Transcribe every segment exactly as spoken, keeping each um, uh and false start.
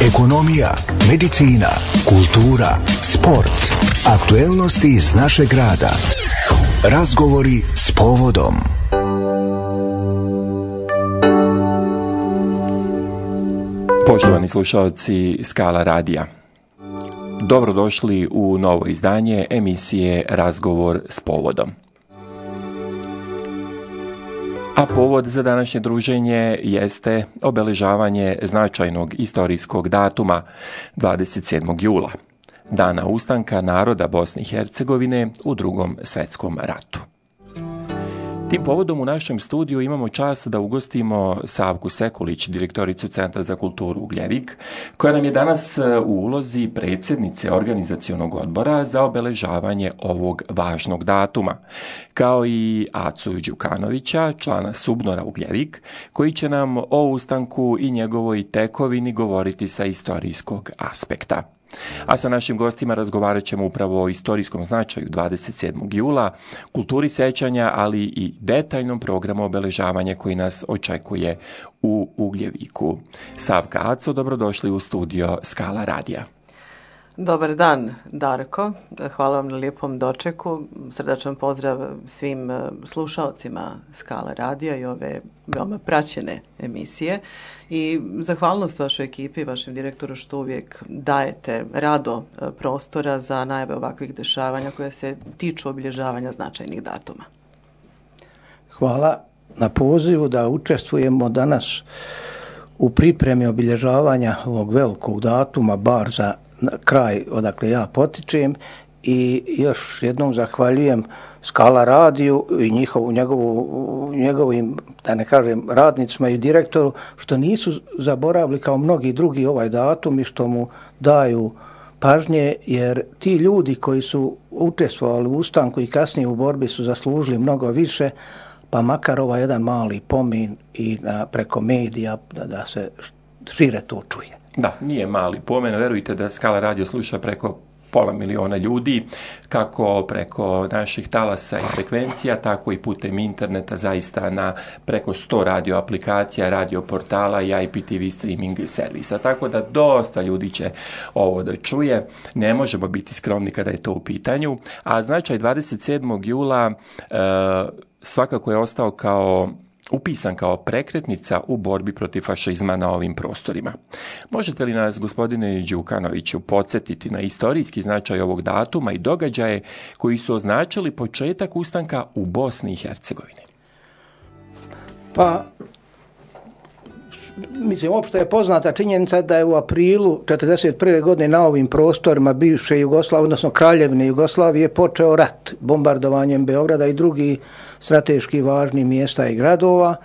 ekonomija, medicina, kultura, sport, aktuelnosti iz našeg grada. Razgovori s povodom. Poštovani slušalci Skala radija, dobrodošli u novo izdanje emisije Razgovor s povodom. A povod za današnje druženje jeste obeležavanje značajnog istorijskog datuma dvadeset sedmog jula, dana ustanka naroda Bosne i Hercegovine u Drugom svjetskom ratu. Tim povodom u našem studiju imamo čast da ugostimo Savku Sekulić, direktoricu Centra za kulturu Ugljevik, koja nam je danas u ulozi predsjednice organizacionog odbora za obeležavanje ovog važnog datuma, kao i Acu Đukanovića, člana Subnora Ugljevik, koji će nam o ustanku i njegovoj tekovini govoriti sa istorijskog aspekta. A sa našim gostima razgovarat ćemo upravo o istorijskom značaju dvadeset sedmog jula, kulturi sećanja, ali i detaljnom programu obeležavanja koji nas očekuje u Ugljeviku. Savka, Aco, dobrodošli u studio Skala radija. Dobar dan, Darko. Hvala vam na lijepom dočeku. Srdačan pozdrav svim slušalcima Skala radija i ove veoma praćene emisije. I zahvalnost vašoj ekipi, vašem direktoru što uvijek dajete rado prostora za najave ovakvih dešavanja koje se tiču obilježavanja značajnih datuma. Hvala na pozivu da učestvujemo danas u pripremi obilježavanja ovog velikog datuma, bar za kraj odakle ja potičem, i još jednom zahvaljujem Skala radiju i njihovu, njegovu, njegovim, da ne kažem, radnicima i direktoru, što nisu zaboravili kao mnogi drugi ovaj datum i što mu daju pažnje, jer ti ljudi koji su učestvovali u ustanku i kasnije u borbi su zaslužili mnogo više, pa makar ovaj jedan mali pomin i na, preko medija da, da se šire to čuje. Da, nije mali pomen, verujte da Skala radio sluša preko pola miliona ljudi, kako preko naših talasa i frekvencija, tako i putem interneta, zaista na preko sto radio aplikacija, radio portala i I P T V streaming servisa. Tako da dosta ljudi će ovo da čuje. Ne možemo biti skromni kada je to u pitanju. A značaj dvadeset sedmog jula e, svakako je ostao kao upisan kao prekretnica u borbi protiv fašizma na ovim prostorima. Možete li nas, gospodine Đukanoviću, podsjetiti na istorijski značaj ovog datuma i događaje koji su označili početak ustanka u Bosni i Hercegovini? Pa, mislim, opšte je poznata činjenica da je u aprilu četrdeset prve godine na ovim prostorima bivše Jugoslavije, odnosno Kraljevine Jugoslavije, počeo rat bombardovanjem Beograda i drugih strateški važnih mjesta i gradova.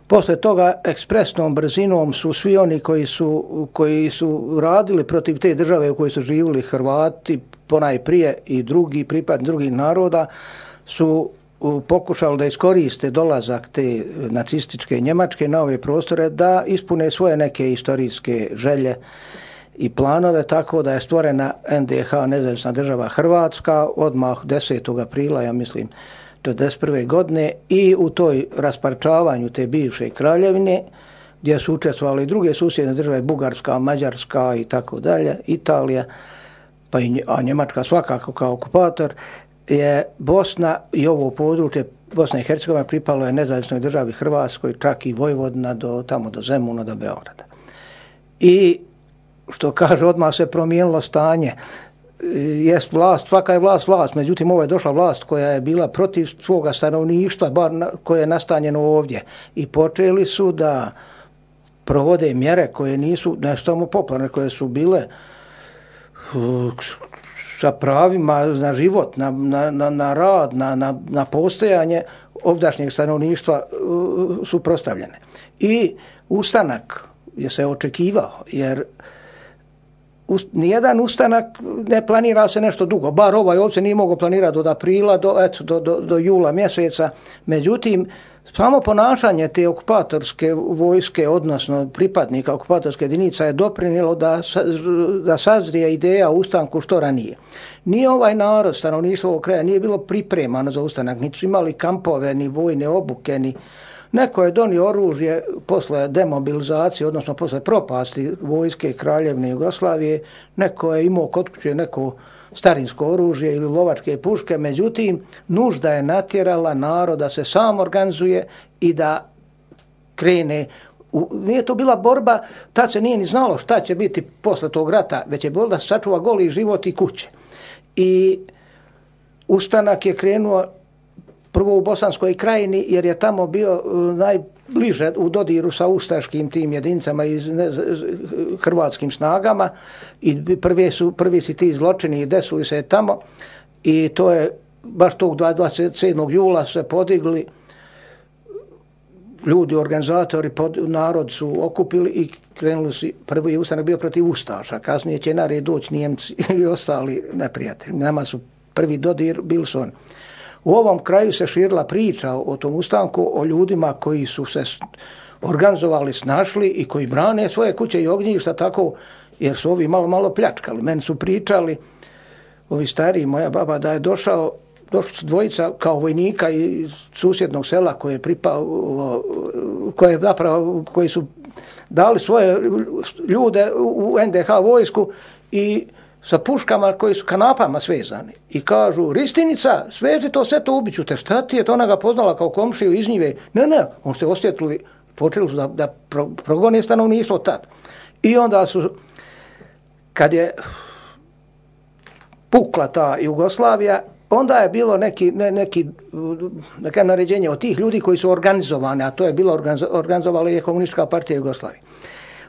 Posle toga ekspresnom brzinom su svi oni koji su, koji su radili protiv te države u kojoj su živjeli Hrvati, ponajprije i drugi pripadni drugih naroda, su pokušali da iskoriste dolazak te nacističke Njemačke na ove prostore da ispune svoje neke istorijske želje i planove, tako da je stvorena N D H, nezavisna država Hrvatska, odmah desetog aprila, ja mislim, četrdeset prve godine, i u toj rasparčavanju te bivše kraljevine, gdje su učestvovali druge susjedne države, Bugarska, Mađarska i tako dalje, Italija, pa i, a Njemačka svakako kao okupator, je Bosna i ovo područje Bosna i Hercegovina pripalo je nezavisnoj državi Hrvatskoj, čak i Vojvodina do tamo do Zemuna, do Beograda. I što kaže, odmah se promijenilo stanje. Jest vlast, svaka je vlast vlast, međutim ovo je došla vlast koja je bila protiv svoga stanovništva, bar na, koje je nastanjeno ovdje. I počeli su da provode mjere koje nisu ne samo popularne, koje su bile uh, sa pravima na život, na, na, na rad, na, na, na postojanje ovdašnjeg stanovništva uh, suprotstavljene. I ustanak je se očekivao, jer nijedan ustanak ne planira se nešto dugo, bar ovaj ovdje nije mogao planirati od aprila do, eto, do, do, do jula mjeseca. Međutim, samo ponašanje te okupatorske vojske, odnosno pripadnika okupatorske jedinica, je doprinijelo da, da sazrije ideja o ustanku što ranije. Nije ovaj narod, stanovništvo ovog kraja, nije bilo pripremano za ustanak, niti su imali kampove, ni vojne obuke, ni Neko je donio oružje posle demobilizacije, odnosno posle propasti vojske Kraljevine Jugoslavije, neko je imao kod kuće neko starinsko oružje ili lovačke puške, međutim, nužda je natjerala narod da se sam organizuje i da krene. U, nije to bila borba, tad se nije ni znalo šta će biti posle tog rata, već je bilo da se sačuva goli život i kuće. I ustanak je krenuo prvo u Bosanskoj krajini, jer je tamo bio najbliže u dodiru sa ustaškim tim jedinicama i hrvatskim snagama i prvi su, prvi su ti zločini desili se tamo i to je baš tog dvadeset sedmog jula se podigli ljudi, organizatori, pod, narod su okupili i krenuli su, prvi ustanak bio protiv ustaša, kasnije će na red doći Nijemci i ostali neprijatelji. Nama su prvi dodir bili su oni. U ovom kraju se širila priča o tom ustanku, o ljudima koji su se organizovali, snašli i koji brane svoje kuće i ognjišta tako, jer su ovi malo, malo pljačkali. Meni su pričali, ovi stariji, moja baba, da je došao, došli su dvojica kao vojnika iz susjednog sela koje je pripalo, koje zapravo, koji su dali svoje ljude u en de ha vojsku i sa puškama koji su kanapama svezani. I kažu, Ristinica, sveži to, sve to ubiću te. Šta ti je to? Ona ga poznala kao komšiju iz njive. Ne, ne, on se osjetili, počeli su da, da pro, progone stanovništvo tad. I onda su, kad je pukla ta Jugoslavija, onda je bilo neki, ne, neki neka naređenje od tih ljudi koji su organizovani, a to je bilo organizovala je Komunistička partija Jugoslavije.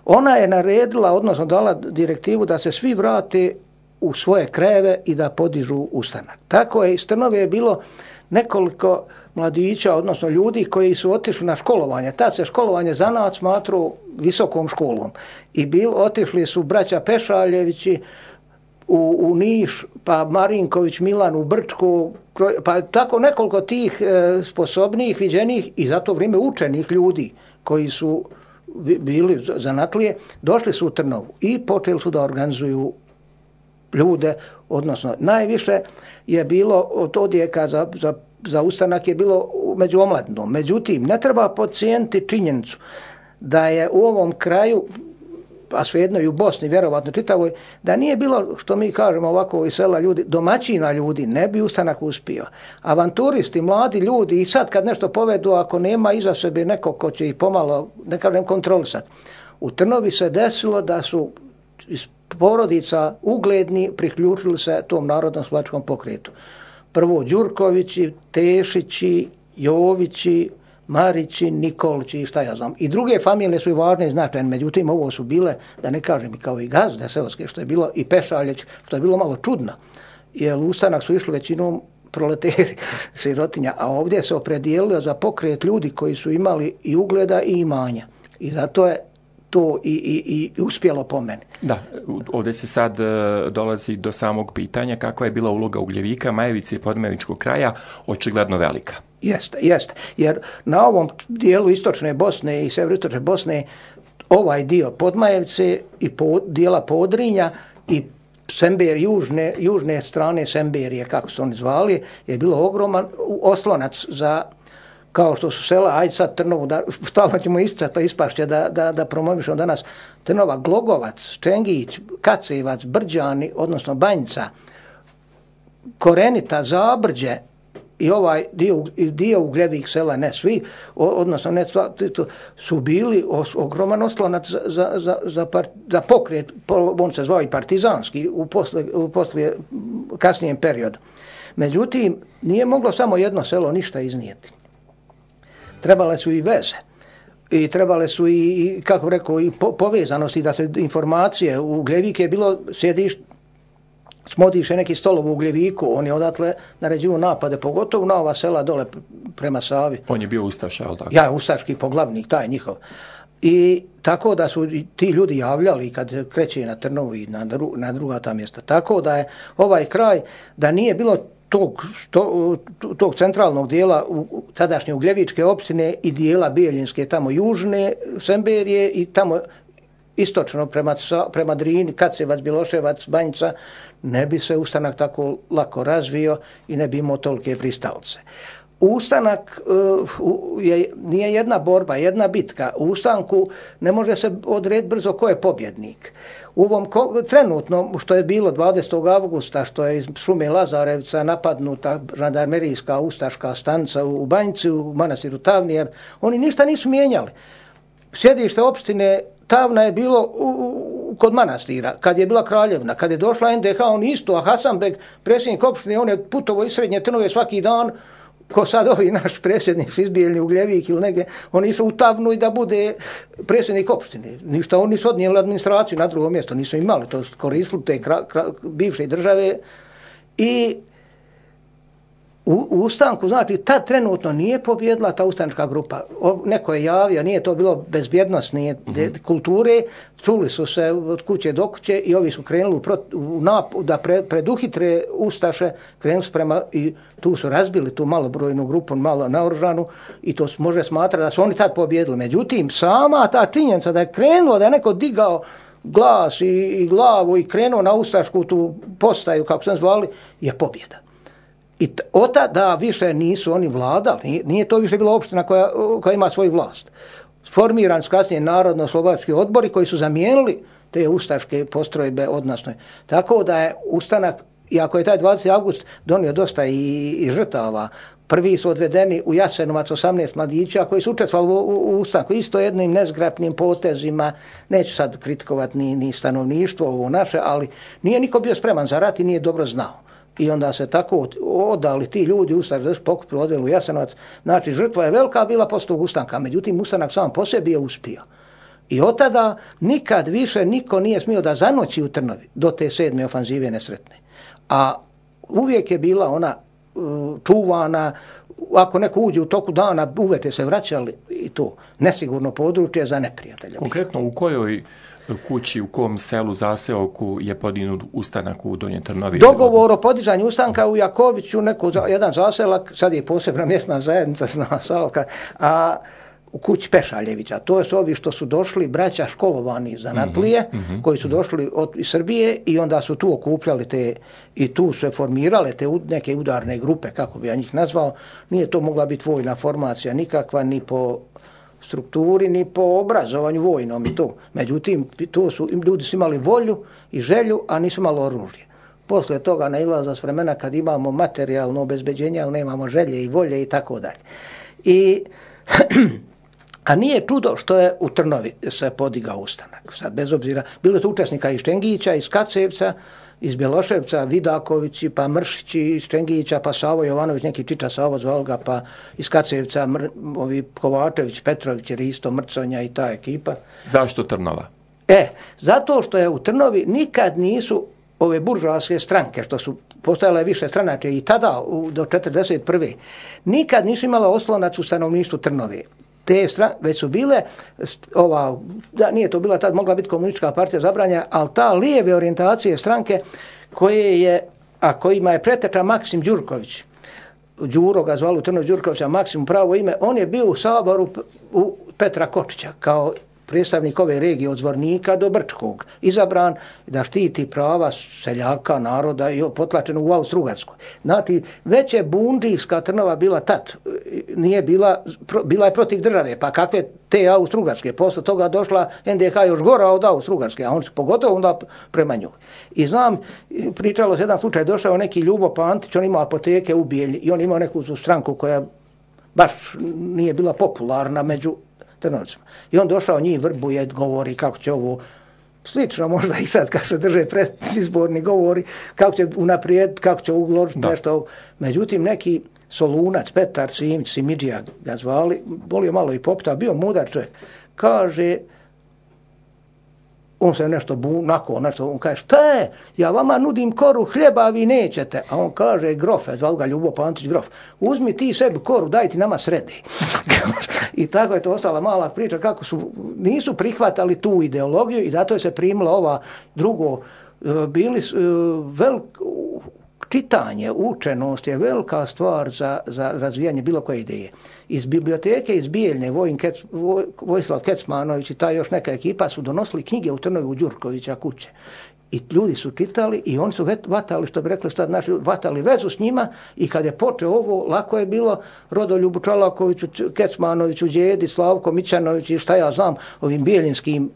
Ona je naredila, odnosno dala direktivu da se svi vrate u svoje krajeve i da podižu ustanak. Tako je iz Trnove je bilo nekoliko mladića, odnosno ljudi koji su otišli na školovanje. Tad se školovanje zanat smatrao visokom školom. I bil, otišli su braća Pešaljevići u, u Niš, pa Marinković Milan u Brčku, pa tako nekoliko tih e, sposobnih, viđenih i za to vrijeme učenih ljudi koji su bili zanatlije, došli su u Trnovu i počeli su da organizuju ljude, odnosno najviše je bilo od odjeka za, za, za ustanak je bilo među omladinom. Međutim, ne treba podcijeniti činjenicu da je u ovom kraju, a svejedno i u Bosni, vjerovatno čitavoj, da nije bilo, što mi kažemo ovako iz sela ljudi, domaćina ljudi, ne bi ustanak uspio. Avanturisti, mladi ljudi i sad kad nešto povedu, ako nema iza sebe nekog ko će ih pomalo, ne kažem, kontrolisati. U Trnovi se desilo da su iz porodica ugledni priključili se tom narodnom slovačkom pokretu. Prvo Đurkovići, Tešići, Jovići, Marići, Nikolići i šta ja znam. I druge familije su i važne i značajne, međutim ovo su bile, da ne kažem, kao i gazde seoske, što je bilo i Pešaljeć, što je bilo malo čudno. Jer u ustanak su išli većinom proleteri, sirotinja, a ovdje se opredijelio za pokret ljudi koji su imali i ugleda i imanja. I zato je to i, i, i uspjelo po meni. Da, ovdje se sad dolazi do samog pitanja kakva je bila uloga Ugljevika, Majevice i Podmajevičkog kraja, očigledno velika. Jeste, jeste. Jer na ovom dijelu istočne Bosne i sjeveroistočne Bosne ovaj dio Podmajevce i po, dijela Podrinja i Sember, južne, južne strane Semberije, kako su oni zvali, je bilo ogroman oslonac za, kao što su sela, ajde sad Trnovu, da, stalno ćemo isticati pa ispašće da, da, da promovišemo danas, Trnova, Glogovac, Čengić, Kacevac, Brđani, odnosno Banjica, Korenita, Zabrđe, i ovaj dio, dio ugljevih sela, ne svi, odnosno ne sva, su bili os, ogroman oslonac za, za, za, za, par, za pokret, on se zvao i partizanski u, posle, u poslije, kasnijem periodu. Međutim, nije moglo samo jedno selo ništa iznijeti. Trebale su i veze. I trebale su i, kako rekao, i po, povezanosti, da se informacije. U Ugljevik je bilo sjedište, Smodiše neki stolov u Ugljeviku, on je odatle naređivo napade, pogotovo na ova sela dole prema Savi. On je bio ustaša, ali tako? Ja, ustaški poglavnik, taj njihov. I tako da su ti ljudi javljali kad kreće na Trnovu i na, dru, na druga ta mjesta. Tako da je ovaj kraj, da nije bilo tog, to, tog centralnog dijela u tadašnje Ugljevičke opštine i dijela Bijeljinske, tamo južne Semberije i tamo istočno prema, prema Drini, Kacevac, Biloševac, Banjica, ne bi se ustanak tako lako razvio i ne bi imao tolike pristalce. Ustanak uh, je, nije jedna borba, jedna bitka. U ustanku ne može se odrediti brzo ko je pobjednik. U ovom ko, trenutno, što je bilo dvadesetog avgusta, što je iz šume Lazarevca napadnuta žandarmerijska ustaška stanica u Banjici, u manastiru Tavnijer, oni ništa nisu mijenjali. Sjedište opštine Tavna je bilo u, u, kod manastira, kad je bila Kraljevna, kad je došla en de ha, on isto, a Hasanbeg, predsjednik opštine, on je putovao iz Srednje Trnove svaki dan, ko sad ovi naš predsjednici izbijeljni u Gljevik ili negdje, oni išli u Tavnu i da bude predsjednik opštine. Ništa, oni su odnijeli administraciju na drugo mjesto, nisu imali, to koristili te kra, kra, bivše države. I u, u ustanku, znači, tad trenutno nije pobjedila ta ustanička grupa. O, neko je javio, nije to bilo bezbjednostne mm-hmm. kulture, čuli su se od kuće do kuće i ovi su krenuli u, u nap, da pre, preduhitre ustaše, krenuli su prema i tu su razbili tu malobrojnu grupu, malo naoružanu i to može smatrati da su oni tad pobjedili. Međutim, sama ta činjenica da je krenulo, da je neko digao glas i, i glavu i krenuo na ustašku tu postaju, kako sam zvali, je pobjeda. I od tada više nisu oni vladali, nije, nije to više bila opština koja, koja ima svoju vlast. Formiran su kasnije narodno-slovački odbori koji su zamijenili te ustaške postrojbe, odnosno. Tako da je ustanak, iako je taj dvadeseti avgust donio dosta i, i žrtava, prvi su odvedeni u Jasenovac osamnaest mladića koji su učestvovali u, u, u ustanku, isto jednim nezgrapnim potezima, neću sad kritikovati ni, ni stanovništvo ovo naše, ali nije niko bio spreman za rat i nije dobro znao. I onda se tako odali ti ljudi ustanak da su pokupili, odveli u Jasenovac. Znači, žrtva je velika bila poslije tog ustanka, međutim, ustanak sam po sebi je uspio. I od tada nikad više niko nije smio da zanoći u Trnovi do te sedme ofanzive nesretne. A uvijek je bila ona uh, čuvana, ako neko uđe u toku dana, uveče se vraćali i to nesigurno područje za neprijatelja. Konkretno u kojoj kući, u kom selu, zaseoku je podignut ustanak u Donjoj Trnovi? Dogovor o podizanju ustanka u Jakoviću, neko, jedan zaselak, sad je posebna mjesna zajednica, zna Salka, a u kući Pešaljevića. To su ovi što su došli, braća školovani zanatlije, mm-hmm. koji su došli od iz Srbije i onda su tu okupljali te, i tu se formirale te neke udarne grupe, kako bi ja njih nazvao. Nije to mogla biti vojna formacija nikakva, ni po strukturi, ni po obrazovanju vojnom i to. Međutim, to su, ljudi su imali volju i želju, a nisu imali oružje. Poslije toga nailaza s vremena kad imamo materijalno obezbeđenje, ali nemamo želje i volje i tako dalje. I a nije čudo što je u Trnovi se podigao ustanak. Sad, bez obzira, bilo je to učesnika iz Čengića, iz Kacevca, iz Bjeloševca, Vidakovići, pa Mršići, iz Čengića, pa Savo Jovanović, neki Čiča Savo zvao ga, pa iz Kacevca, mr, ovi Kovačević, Petrović, jer isto Mrconja i ta ekipa. Zašto Trnova? E, zato što je u Trnovi nikad nisu ove buržoaske stranke, što su postojale više stranače i tada, u, do četrdeset prve nikad nisu imala oslonac u stanovništvu Trnove. Te stran, već su bile, ova, da nije to bila tad, mogla biti komunistička partija zabranja, ali ta lijeve orijentacije stranke koje je, a kojima je preteča Maksim Đurković, Đuro ga zvali u Trnovi Đurkovića, Maksim pravo ime, on je bio u Saboru u Petra Kočića kao predstavnik ove regije od Zvornika do Brčkog, izabran da štiti prava seljaka, naroda i potlačeno u Austro-Ugarskoj. Znači, već je bundijska Trnova bila tad, nije bila, bila je protiv države, pa kakve te Austro-Ugarske, posle toga došla en de ha još gora od Austro-Ugarske, a on se pogotovo onda prema njoj. I znam, pričalo se jedan slučaj, došao neki Ljubo Pantić, on imao apoteke u Bijelji i on imao neku stranku koja baš nije bila popularna među Trnovcima. I on došao njih vrbuje, govori kako će ovo, slično možda i sad kad se drže predizborni govori, kako će unaprijed, kako će uložiti nešto. Međutim, neki Solunac, Petar Simić, Simidžija ga zvali, volio malo i popita, bio mudar čovjek, kaže, on se nešto bunako, nešto, on kaže, šta je, ja vama nudim koru hljeba, a vi nećete. A on kaže, grofe, zvali ga Ljubo Pantić, grof, uzmi ti sebi koru, daj ti nama sredi. I tako je to ostala mala priča, kako su, nisu prihvatali tu ideologiju i zato je se primila ova drugo, bili velik, čitanje, učenost je velika stvar za, za razvijanje bilo koje ideje. Iz biblioteke iz Bijeljne, Vojin Kec, Voj, Vojislav Kecmanović i ta još neka ekipa su donosili knjige u Trnovi u Đurkovića kuće. i ljudi su čitali i oni su vatali, što bi rekli sad naši, vatali vezu s njima i kad je počeo ovo, lako je bilo Rodoljubu Čolakoviću, Kecmanoviću, Đedi, Slavko Mićanović i šta ja znam, ovim bijelinskim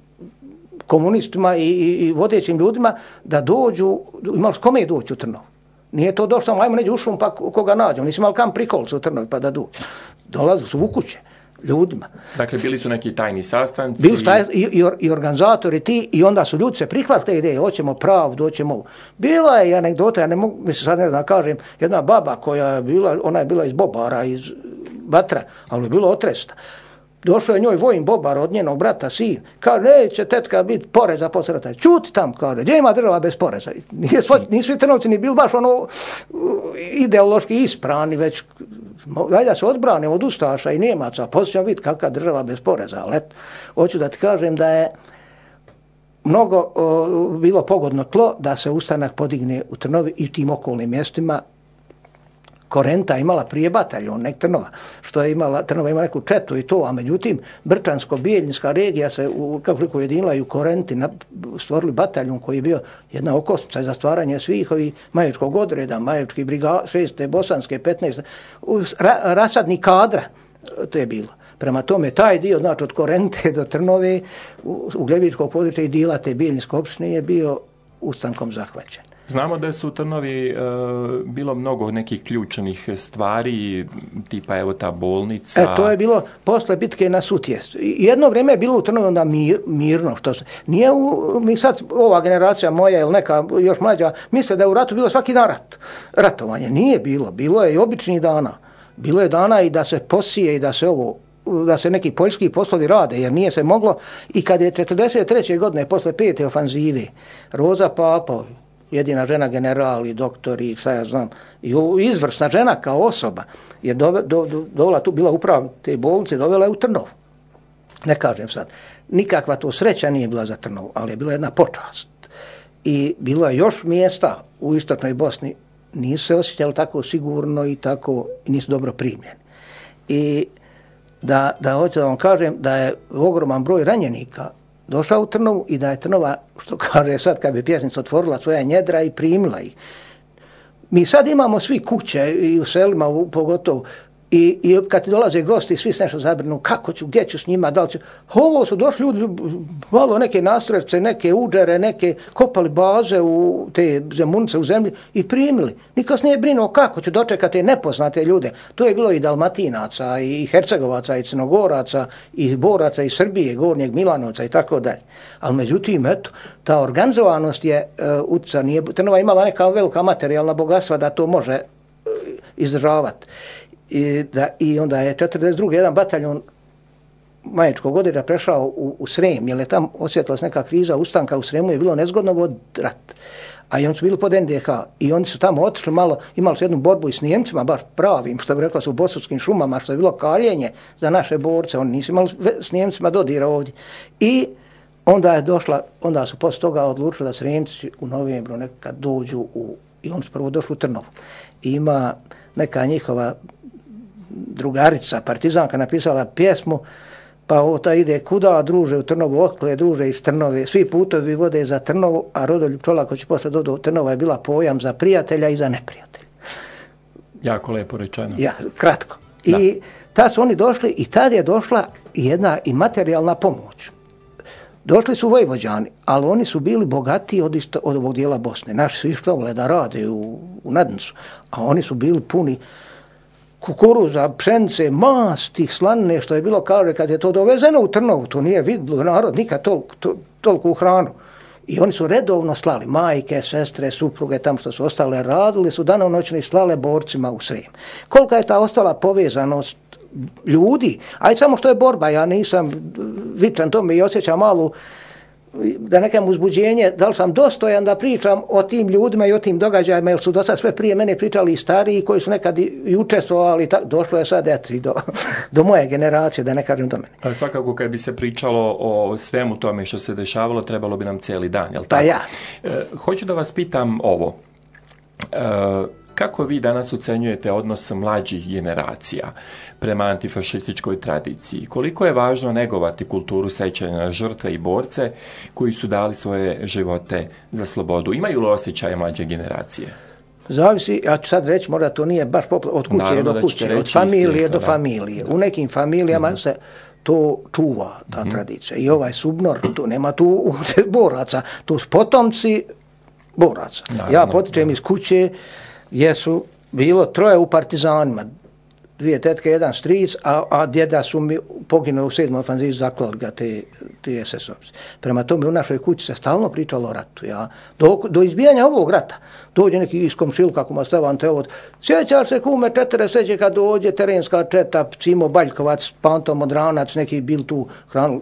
komunistima i, i, i vodećim ljudima da dođu, imali s kome doći u Trnovu. Nije to došlo, ajmo neđe u šum pa koga nađemo, nisi imali kam prikolca u Trnovi pa da dođu. Dolazili su u kuće ljudima. Dakle, bili su neki tajni sastanci. Bili su taj, i, i, i organizatori ti i onda su ljudi se prihvatili te ideje, hoćemo pravdu, hoćemo ovo. Bila je anegdota, ja ne mogu, mislim sad ne znam kažem, jedna baba koja je bila, ona je bila iz Bobara, iz Batra, ali je bilo otresta. Došao je njoj vojin Bobar od njenog brata, sin. Kaže, neće tetka biti poreza posle rata. Čuti tam, kaže, gdje ima država bez poreza? Nije svoj, nisu svi Trnovci ni bili baš ono ideološki isprani, već valjda se odbrane od Ustaša i Njemaca, poslije ćemo vidjeti kakva država bez poreza. Ali et, hoću da ti kažem da je mnogo o, bilo pogodno tlo da se ustanak podigne u Trnovi i tim okolnim mjestima. Korenta imala prije bataljon, nek Trnova, što je imala, Trnova ima neku četu i to, a međutim Brčansko-Bijeljinska regija se u, kako ujedinila i u Korenti na, stvorili bataljon koji je bio jedna okosnica za stvaranje svih ovih majevičkog odreda, majevički briga, šeste, bosanske, petnaeste, ra, rasadni kadra, to je bilo. Prema tome, taj dio, znači od Korente do Trnove, u, u Gljevičkog područja i dijela te Bijeljinske opštine je bio ustankom zahvaćen. Znamo da su u Trnovi e, bilo mnogo nekih ključnih stvari, tipa evo ta bolnica. E, to je bilo posle bitke na Sutjestu. Jedno vrijeme je bilo u Trnovi onda mir, mirno. Što se, nije u, mi sad, ova generacija moja ili neka još mlađa, misle da je u ratu bilo svaki dan rat. Ratovanje. Nije bilo. Bilo je i običnih dana. Bilo je dana i da se posije i da se ovo da se neki poljski poslovi rade, jer nije se moglo. I kad je četrdeset treće godine, posle pete ofanzive, Roza Papa, jedina žena general i doktor i šta ja znam, i izvrsna žena kao osoba, je dove, do, do, dovela tu, bila uprava te bolnice, dovela je u Trnovu. Ne kažem sad, nikakva to sreća nije bila za Trnovu, ali je bila jedna počast. I bilo je još mjesta u istočnoj Bosni, nisu se osjećali tako sigurno i tako, nisu dobro primljeni. I da, da hoću da vam kažem da je ogroman broj ranjenika došao u Trnovu i da je Trnova, što kaže sad kad bi pjesnica otvorila svoja njedra i primila ih. Mi sad imamo svi kuće i u selima u, pogotovo i, i kad ti dolaze gosti svi se nešto zabrinu kako ću, gdje ću s njima, da li ću. Ovo su došli ljudi, malo neke nastrevce, neke uđere, neke kopali baze u te zemunice u zemlji i primili. Niko se nije brinuo kako ću dočekati nepoznate ljude. To je bilo i Dalmatinaca, i Hercegovaca, i Crnogoraca, i Boraca, i Srbije, Gornjeg Milanovca i tako dalje. Ali međutim, eto, ta organizovanost je uh, utjeca, nije, Trnova imala neka velika materijalna bogatstva da to može uh, izdržavati. I, da, I onda je četrdeset drugi jedan bataljon majevičkog odreda prešao u, u Srem, jer je tam osjetila se neka kriza ustanka u Sremu, je bilo nezgodno vod rat. A i oni su bili pod N D H i oni su tamo otišli malo, imali su jednu borbu i s Nijemcima, baš pravim, što bi rekla su u bosanskim šumama, što je bilo kaljenje za naše borce, oni nisu imali s Nijemcima dodira ovdje. I onda je došla, onda su posle toga odlučili da Sremci u novembru nekad dođu u, i oni su prvo došli u Trnovu. I ima neka njihova drugarica, partizanka, napisala pjesmu, pa ota ide kuda, druže u Trnovu, otkle, druže iz Trnove, svi putovi vode za Trnovu, a Rodoljub Čolaković posle dodao, Trnova je bila pojam za prijatelja i za neprijatelja. Jako lepo rečeno. Ja, kratko. Da. I tad su oni došli i tad je došla jedna i materijalna pomoć. Došli su Vojvođani, ali oni su bili bogatiji od, isto, od ovog dijela Bosne. Naši su išli da rade u, u Nadnicu, a oni su bili puni kukuruza, pšence, masti, slanine, što je bilo kao kad je to dovezeno u Trnovu, to nije vidjelo narod nikad toliko tol, tol hranu. I oni su redovno slali, majke, sestre, supruge, tam što su ostale, radili su danonoćno i slale borcima u Srem. Kolika je ta ostala povezanost ljudi, aj samo što je borba, ja nisam vičan tome i osjećam malu, da nekam uzbuđenje, da li sam dostojan da pričam o tim ljudima i o tim događajima, jer su do sad sve prije mene pričali i stariji koji su nekad i učestvovali, došlo je sad eto, i do, do moje generacije, da ne kažem do mene. Pa svakako kad bi se pričalo o svemu tome što se dešavalo, trebalo bi nam cijeli dan, jel tako? Pa ja. E, hoću da vas pitam ovo. E, Kako vi danas ocenjujete odnos mlađih generacija prema antifašističkoj tradiciji? Koliko je važno negovati kulturu sećanja na žrtve i borce koji su dali svoje živote za slobodu? Imaju li osjećaje mlađe generacije? Zavisi, ja ću sad reći, možda to nije baš popla, od kuće Naravno do kuće, od familije istinu, do da. familije. Da. U nekim familijama mm-hmm. se to čuva, ta mm-hmm. tradicija. I ovaj subnor, tu nema tu boraca, tu su potomci boraca. Naravno, ja potičem da. iz kuće gdje su bilo troje u partizanima, dvije tetke, jedan stric, a, a djeda su mi poginuli u sedmoj ofanzivi, zaklali ga te, te es es ovci. Prema tome u našoj kući se stalno pričalo o ratu. Ja. Do, do izbijanja ovog rata dođe neki iz komšiluka, kako ma stavan te ovo, sjećaš se kume četiri seđe kad dođe terenska četa, Cimo Baljkovac, Panto Modranac, neki bil tu hranu,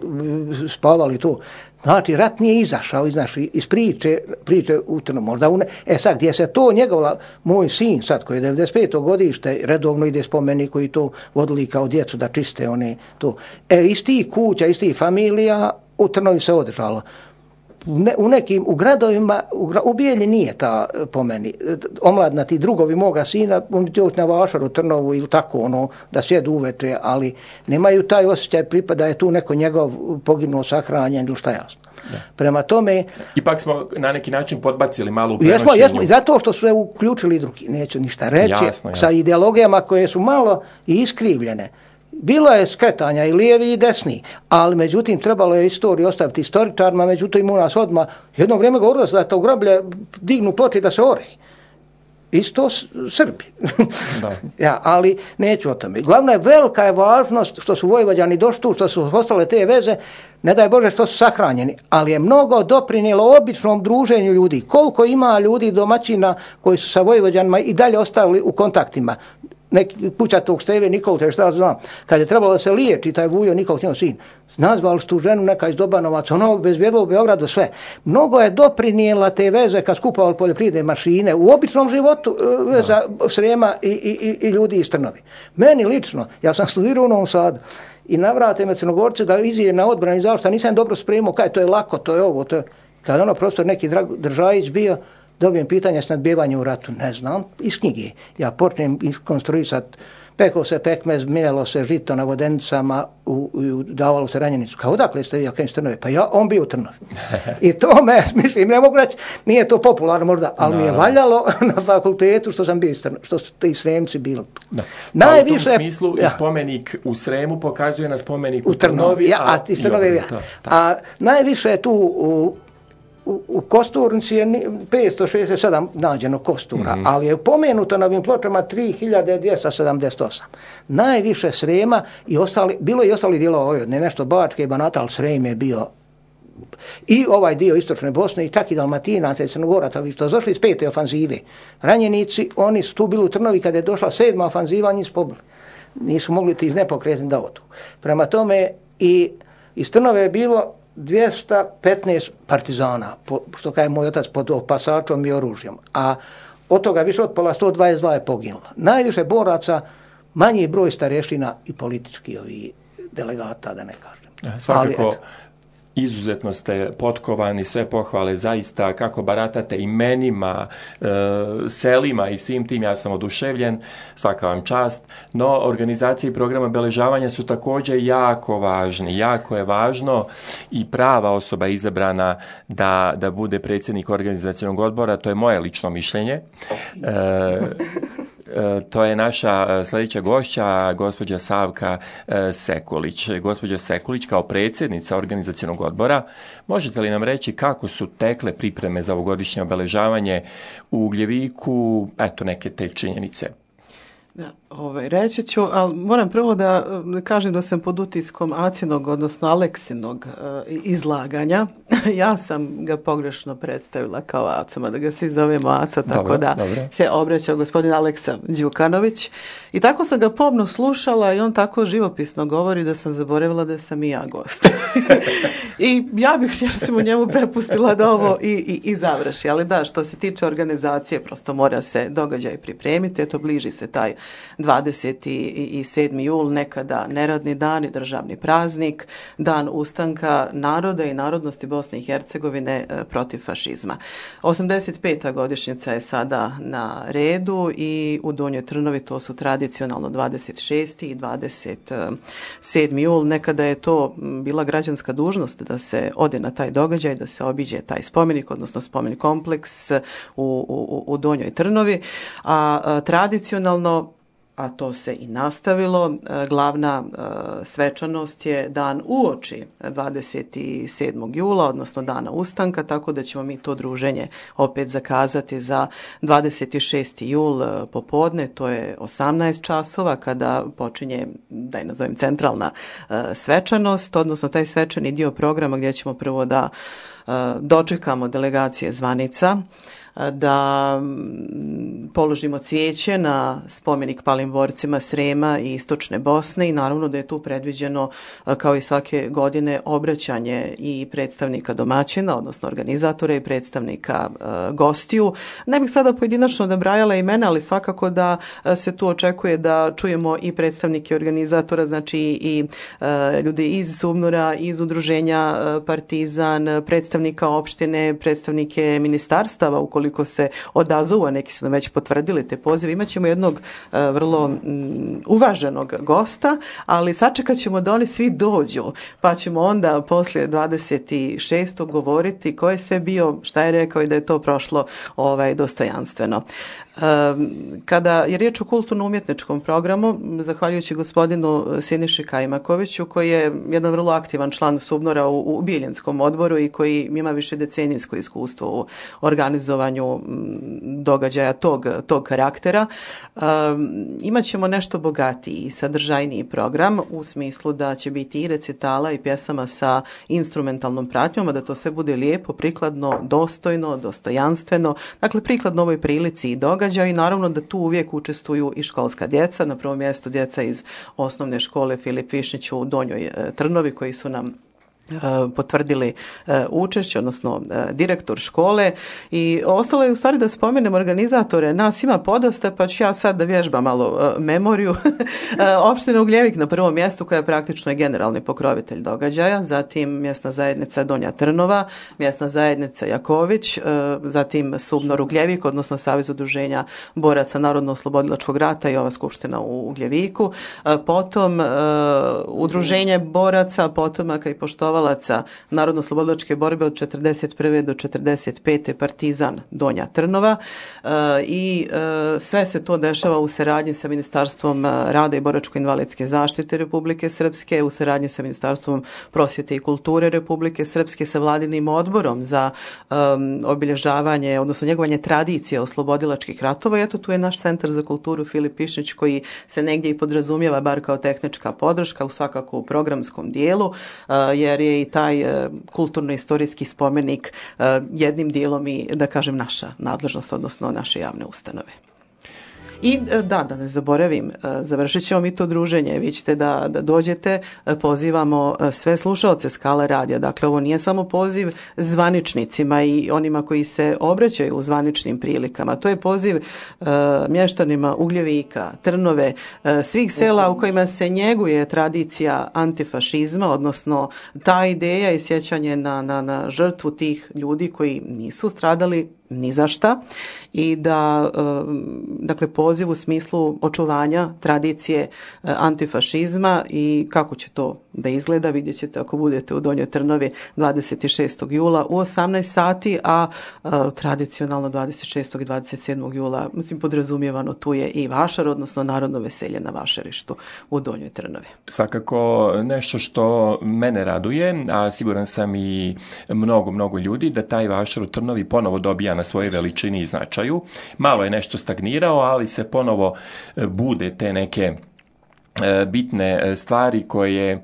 spavali tu. Znači, rat nije izašao iz, naši, iz priče, priče u Trnu, možda u ne. E sad, gdje se to njegova, moj sin sad koji je devedeset peto godište, redovno ide spomenik koji to vodili kao djecu da čiste one to. E, iz tih kuća, iz tih familija u Trnovi se održalo. U, ne, u nekim, u gradovima, u, u Bijelji nije ta, po meni, omladna ti drugovi moga sina, on bi doći na Vašaru, Trnovu ili tako, ono, da sjedu uveče, ali nemaju taj osjećaj pripada je tu neko njegov poginuo, sahranjen ili šta jasno. Da. Prema tome... Ipak smo na neki način podbacili malo u prenošenju. Jesmo, jesmo, i zato što su je uključili drugi, neću ništa reći, jasno, jasno. Sa ideologijama koje su malo i iskrivljene. Bilo je skretanja i lijevi i desni, ali međutim trebalo je istoriju ostaviti istoričarima, međutim u nas odmah jedno vrijeme govorilo se da to groblje dignu ploče da se ore. Isto Srbi. Da. Ja, ali neću o tome. Glavna je velika je važnost što su Vojvođani došli tu, što su ostale te veze, ne daj Bože što su sahranjeni, ali je mnogo doprinijelo običnom druženju ljudi. Koliko ima ljudi domaćina koji su sa Vojvođanima i dalje ostali u kontaktima. Neki pućatog Steve Nikolte, šta znam, kad je trebalo da se liječi taj Vujo Nikol, njegov sin, nazvali su tu ženu neka iz Dobanovaca, ono bezvjedlo u Beogradu, sve. Mnogo je doprinijela te veze kad skupavali poljoprivredne mašine u običnom životu veza Srema i, i, i ljudi iz Trnovi. Meni lično, ja sam studirao u Novom Sadu i navrate me Crnogorce da izijem na odbrani zašto nisam dobro spremao, kaj to je lako, to je ovo, to je... Kad ono profesor neki Držajić bio, dobijem pitanje s nadbijevanjem u ratu. Ne znam, iz knjige. Ja počnem konstruisati, pekao se pekmez, mijelo se žito na vodenicama, u, u, davalo se ranjenicu. Kao odakle ste vi, ja kajem Trnove? Pa ja, on bio u Trnovi. I to me, mislim, ne mogu reći, nije to popularno možda, ali no, mi je valjalo na fakultetu što sam bio iz Trnove, što su ti Sremci bili tu. No. Najviše, u tom smislu ja. spomenik u Sremu pokazuje na spomenik u, u Trnovi. Trnovi ja, a, iz Trnove, ja. To, a najviše je tu u U, u Kosturnici je petsto šezdeset sedam nađeno kostura, mm-hmm. ali je pomenuto na ovim pločama tri hiljade dvjesto sedamdeset osam. Najviše Srema i ostali, bilo je i ostali dijelova Vojvodine, nešto Bačke i Banata, ali Srem je bio i ovaj dio istočne Bosne i čak i Dalmatinaca i Crnogoraca, vi što došli iz pete ofanzive. Ranjenici, oni su tu bili u Trnovi kada je došla sedma ofanziva, njih pobili. Nisu mogli ti nepokretni da odu. Prema tome i iz Trnove je bilo dvjesto petnaest partizana, po, što kaže moj otac, pod opasačom i oružjem. A od toga više od pola sto dvadeset dva je poginulo. Najviše boraca, manji broj starještina i politički ovi delegata, da ne kažem. Svakako, ali, izuzetno ste potkovani, sve pohvale zaista, kako baratate imenima, e, selima i svim tim, ja sam oduševljen, svaka vam čast, no organizacije i programa obeležavanja su također jako važni, jako je važno i prava osoba izabrana da, da bude predsjednik organizacionog odbora, to je moje lično mišljenje. E, To je naša sljedeća gošća, gospođa Savka Sekulić. Gospođa Sekulić, kao predsjednica organizacionog odbora, možete li nam reći kako su tekle pripreme za ovogodišnje obeležavanje u Ugljeviku, eto neke te činjenice? Da, ovaj, reći ću, ali moram prvo da kažem da sam pod utiskom Acinog, odnosno Aleksinog uh, izlaganja. Ja sam ga pogrešno predstavila kao Acoma, da ga svi zovemo Aca, tako dobro, da dobro. Se obraća gospodin Aleksa Đukanović. I tako sam ga pomno slušala i on tako živopisno govori da sam zaboravila da sam i ja gost. I ja bih recimo njemu prepustila da ovo i, i, i završi. Ali da, što se tiče organizacije, prosto mora se događaj pripremiti, eto bliži se taj dvadeset sedmi jul, nekada neradni dan i državni praznik, dan ustanka naroda i narodnosti Bosne i Hercegovine protiv fašizma. osamdeset peta godišnjica je sada na redu i u Donjoj Trnovi to su tradicionalno dvadeset šesti i dvadeset sedmi jul. Nekada je to bila građanska dužnost da se ode na taj događaj, da se obiđe taj spomenik, odnosno spomenik kompleks u, u, u Donjoj Trnovi, a, a tradicionalno, a to se i nastavilo, glavna svečanost je dan uoči dvadeset sedmog jula, odnosno dana ustanka, tako da ćemo mi to druženje opet zakazati za dvadeset šesti jul popodne, to je osamnaest časova kada počinje, da je nazovem, centralna svečanost, odnosno taj svečani dio programa gdje ćemo prvo da dočekamo delegacije zvanica, da položimo cvijeće na spomenik palim borcima Srema i Istočne Bosne i naravno da je tu predviđeno, kao i svake godine, obraćanje i predstavnika domaćina, odnosno organizatora, i predstavnika uh, gostiju. Ne bih sada pojedinačno nabrajala imena, ali svakako da se tu očekuje da čujemo i predstavnike organizatora, znači i uh, ljudi iz Sumnura, iz udruženja uh, Partizan, predstavnika opštine, predstavnike ministarstava, ukoliko koliko se odazovu, a neki su nam već potvrdili te pozive. Imaćemo jednog uh, vrlo um, uvaženog gosta, ali sačekat ćemo da oni svi dođu, pa ćemo onda poslije dvadeset šestog govoriti ko je sve bio, šta je rekao i da je to prošlo ovaj, dostojanstveno. Um, kada je riječ o kulturno-umjetničkom programu, zahvaljujući gospodinu Siniši Kajmakoviću, koji je jedan vrlo aktivan član Subnora u, u Bijeljenskom odboru i koji ima više decenijsko iskustvo u organizovanju događaja tog, tog karaktera, um, imat ćemo nešto bogatiji i sadržajniji program u smislu da će biti i recitala i pjesama sa instrumentalnom pratnjom, a da to sve bude lijepo, prikladno, dostojno, dostojanstveno, dakle prikladno ovoj prilici i događaju i naravno da tu uvijek učestvuju i školska djeca, na prvom mjestu djeca iz osnovne škole Filip Višnjić u Donjoj Trnovi koji su nam potvrdili učešće, odnosno direktor škole, i ostalo je u stvari da spomenem organizatore. Nas ima podosta, pa ću ja sad da vježbam malo memoriju. Opština Ugljevik na prvom mjestu, koja je praktično je generalni pokrovitelj događaja, zatim mjesna zajednica Donja Trnova, mjesna zajednica Jaković, zatim Subnor Ugljevik, odnosno Savez udruženja boraca Narodno-oslobodilačkog rata i ova skupština u Ugljeviku, potom udruženje boraca, potomaka i poštovalaca Narodno-oslobodilačke borbe od četrdeset prve do četrdeset pete Partizan Donja Trnova, e, i e, sve se to dešava u saradnji sa Ministarstvom rada i boračko-invalidske zaštite Republike Srpske, u saradnji sa Ministarstvom prosvjete i kulture Republike Srpske, sa Vladinim odborom za um, obilježavanje, odnosno njegovanje tradicije oslobodilačkih ratova. I eto, tu je naš centar za kulturu Filip Višnjić, koji se negdje i podrazumijeva bar kao tehnička podrška, u svakako u programskom dijelu, uh, jer je i taj uh, kulturno-istorijski spomenik uh, jednim dijelom i, da kažem, naša nadležnost, odnosno naše javne ustanove. I da, da ne zaboravim, završit ćemo mi to druženje, vi ćete da, da dođete, pozivamo sve slušaoce Skala radija, dakle ovo nije samo poziv zvaničnicima i onima koji se obraćaju u zvaničnim prilikama, to je poziv uh, mještanima Ugljevika, Trnove, uh, svih sela u kojima se njeguje tradicija antifašizma, odnosno ta ideja i sjećanje na, na, na žrtvu tih ljudi koji nisu stradali ni za šta, i da, dakle, poziv u smislu očuvanja tradicije antifašizma. I kako će to da izgleda vidjet ćete ako budete u Donjoj Trnovi dvadeset šestog jula u osamnaest sati, a, a tradicionalno dvadeset šestog i dvadeset sedmog jula, mislim, podrazumijevano tu je i vašar, odnosno narodno veselje na vašarištu u Donjoj Trnovi. Svakako nešto što mene raduje, a siguran sam i mnogo, mnogo ljudi, da taj vašar u Trnovi ponovo dobija na svoje veličini i značaju. Malo je nešto stagnirao, ali se ponovo bude te neke bitne stvari koje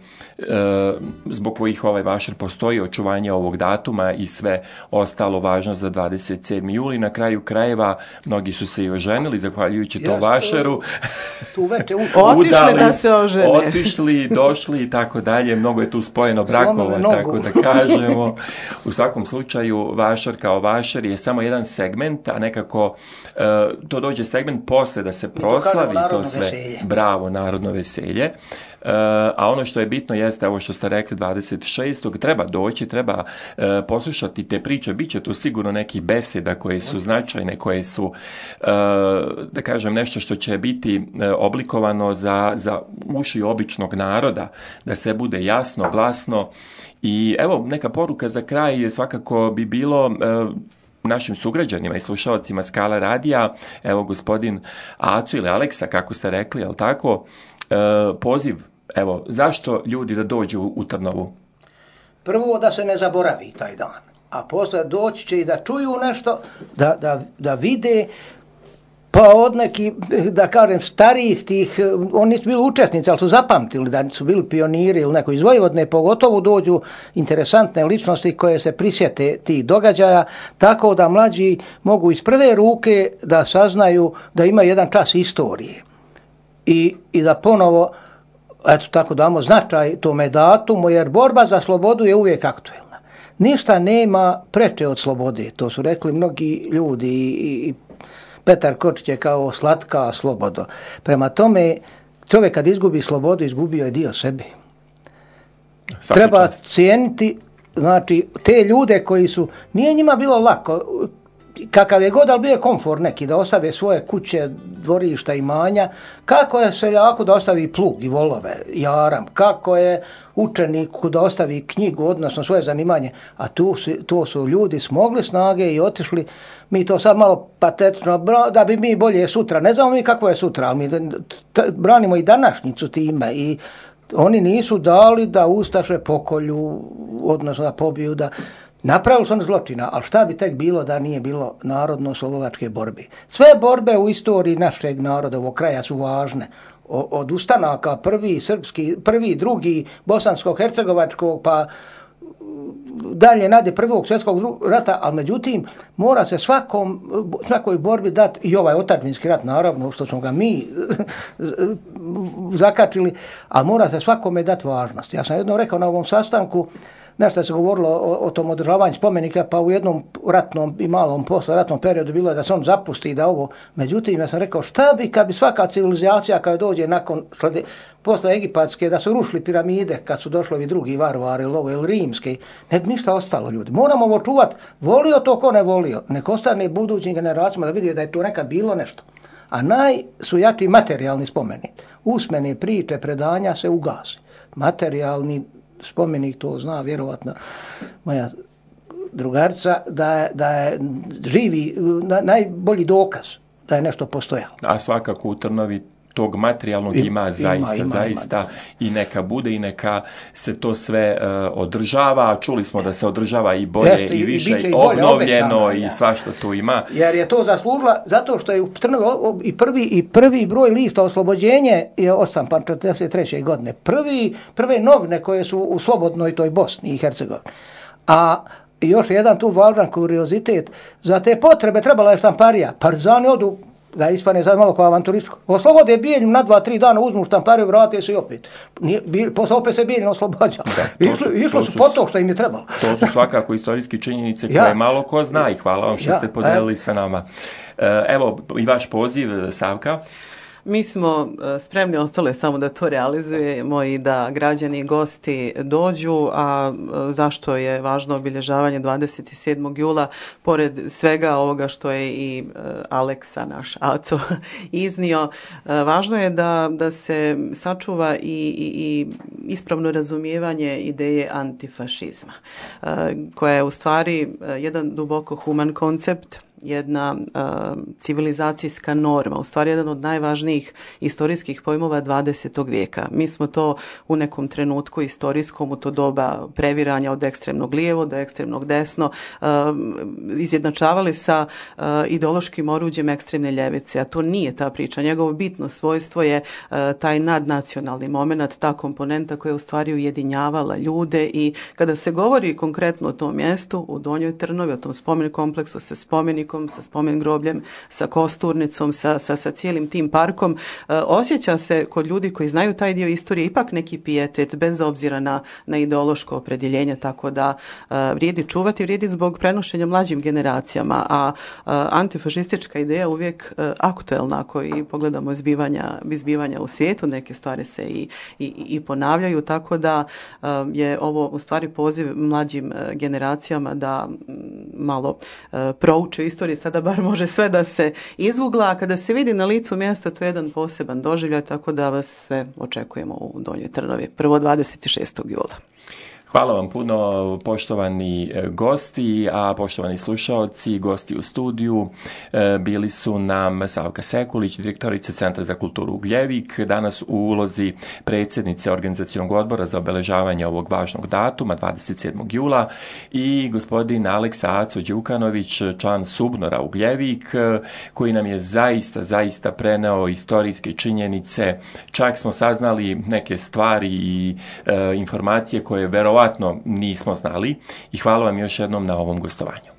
zbog kojih ovaj vašar postoji, očuvanje ovog datuma i sve ostalo važno za dvadeset sedmi juli. Na kraju krajeva mnogi su se i oženili zahvaljujući to vašaru. Tu veče otišli da se ožene. Otišli, došli i tako dalje. Mnogo je tu spojeno brakova, tako da kažemo. U svakom slučaju vašar kao vašar je samo jedan segment, a nekako to dođe segment posle da se proslavi to, to sve. Veselje. Bravo, narodno veselje. Uh, a ono što je bitno jeste, ovo što ste rekli, dvadeset šestog treba doći, treba uh, poslušati te priče, bit će tu sigurno nekih beseda koje su značajne, koje su, uh, da kažem, nešto što će biti uh, oblikovano za, za uši običnog naroda, da se bude jasno, glasno. I evo, neka poruka za kraj je svakako bi bilo uh, našim sugrađanima i slušalcima Skala radija, evo gospodin Aco ili Aleksa, kako ste rekli, jel tako, e, poziv, evo, zašto ljudi da dođu u, u Trnovu? Prvo da se ne zaboravi taj dan, a posle doći će i da čuju nešto, da, da, da vide, pa od neki, da kažem, starijih tih, oni su bili učesnici, ali su zapamtili da su bili pioniri ili neko iz Vojvodine, pogotovo dođu interesantne ličnosti koje se prisjete tih događaja, tako da mlađi mogu iz prve ruke da saznaju da ima jedan čas istorije i, i da ponovo, eto tako damo značaj tome datumu, jer borba za slobodu je uvijek aktuelna. Ništa nema preče od slobode, to su rekli mnogi ljudi i, i Petar Kočić je kao slatka slobodo. Prema tome, čovjek kad izgubi slobodu, izgubio je dio sebe. Svaki Treba čast. cijeniti, znači, te ljude koji su, nije njima bilo lako, kakav je god, ali bio je komfor neki, da ostave svoje kuće, dvorišta, imanja, kako je seljaku da ostavi plug i volove, jaram, kako je učeniku da ostavi knjigu, odnosno svoje zanimanje, a tu su, tu su ljudi smogli snage i otišli. Mi to sad malo patetično, da bi mi bolje sutra, ne znamo mi kako je sutra, ali mi branimo i današnjicu time i oni nisu dali da ustaše pokolju, odnosno da pobiju, da napravili su oni zločina, ali šta bi tek bilo da nije bilo narodno-slobodačke borbe? Sve borbe u istoriji našeg naroda, ovog kraja su važne. O, od ustanaka, prvi srpski, prvi, drugi, bosansko-hercegovačkog, pa dalje nade prvog svjetskog rata, ali međutim mora se svakom, svakoj borbi dati i ovaj otadžbinski rat, naravno, što smo ga mi zakačili, ali mora se svakome dati važnost. Ja sam jednom rekao na ovom sastanku, nešto se govorilo o, o tom održavanju spomenika, pa u jednom ratnom i malom posle ratnom periodu bilo je da se on zapusti i da ovo. Međutim, ja sam rekao, šta bi kad bi svaka civilizacija kada dođe nakon slede, posle egipatske, da su rušili piramide kad su došli ovi drugi varvari ili ovo ili rimski, ne bi ništa ostalo ljudi. Moramo ovo čuvati, volio to ko ne volio, nek ostane budućim generacijama da vidi da je to nekad bilo nešto. A naj su jači materijalni spomeni. Usmene priče, predanja se ugase. Materijalni spomenik, to zna vjerovatno moja drugarica, da je, da je živi, na, najbolji dokaz da je nešto postojalo. A svakako u Trnovi tog materijalnog ima, ima zaista, ima, zaista ima, i neka bude i neka se to sve uh, održava. Čuli smo da se održava i bolje Jeste, i više i, i obnovljeno obećano, i svašta tu ima. Jer je to zaslužila zato što je u Trnovi i prvi, i prvi broj lista oslobođenje je ostampan četrdeset treće godine. Prvi, prve novine koje su u slobodnoj toj Bosni i Hercegovini. A još jedan tu važan kuriozitet, za te potrebe trebala je štamparija. Partizani odu, da ispane sad malo kao avanturističko, oslobode Bijeljinu na dva, tri dana, uzmu štampariju, vrate se i opet. Nije, posle opet se Bijeljina oslobađa. Išlo su po to što im je trebalo. To su svakako istorijske činjenice koje ja. malo ko zna i hvala vam što ja. ste podelili sa nama. Evo i vaš poziv, Savka. Mi smo spremni ostale samo da to realizujemo i da građani i gosti dođu, a zašto je važno obilježavanje dvadeset sedmog jula, pored svega ovoga što je i Aleksa, naš Aco, iznio, važno je da, da se sačuva i, i, ispravno razumijevanje ideje antifašizma, koja je u stvari jedan duboko human koncept, jedna uh, civilizacijska norma, u stvari jedan od najvažnijih istorijskih pojmova dvadesetog vijeka. Mi smo to u nekom trenutku istorijskom, u to doba previranja od ekstremnog lijevo do ekstremnog desno, uh, izjednačavali sa uh, ideološkim oruđem ekstremne ljevice, a to nije ta priča. Njegovo bitno svojstvo je uh, taj nadnacionalni moment, ta komponenta koja je u stvari ujedinjavala ljude, i kada se govori konkretno o tom mjestu, u Donjoj Trnovi, o tom spomen kompleksu sa spomenikom, sa spomen grobljem, sa kosturnicom, sa, sa, sa cijelim tim parkom, e, osjeća se kod ljudi koji znaju taj dio istorije ipak neki pijetet, bez obzira na, na ideološko opredjeljenje, tako da e, vrijedi čuvati, vrijedi zbog prenošenja mlađim generacijama, a e, antifašistička ideja uvijek e, aktuelna, ako i pogledamo zbivanja, zbivanja u svijetu, neke stvari se i, i, i ponavljaju, tako da e, je ovo u stvari poziv mlađim e, generacijama da m, malo e, prouče istoriju. Sada bar može sve da se izgugla, a kada se vidi na licu mjesta, to je jedan poseban doživljaj, tako da vas sve očekujemo u Donjoj Trnovi prvo dvadeset šestog jula. Hvala vam puno, poštovani gosti, a poštovani slušaoci, gosti u studiju bili su nam Savka Sekulić, direktorica Centra za kulturu Ugljevik, danas u ulozi predsjednice organizacionog odbora za obeležavanje ovog važnog datuma, dvadeset sedmog jula, i gospodin Aleksa Aco Đukanović, član Subnora Ugljevik, koji nam je zaista, zaista preneo istorijske činjenice. Čak smo saznali neke stvari i e, informacije koje verovatno nismo znali, i hvala vam još jednom na ovom gostovanju.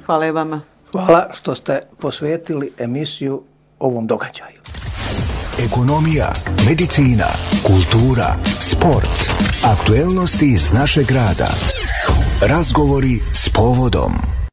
Hvala i vama. Hvala što ste posvetili emisiju ovom događaju. Ekonomija, medicina, kultura, sport, aktuelnosti iz našeg grada. Razgovori s povodom.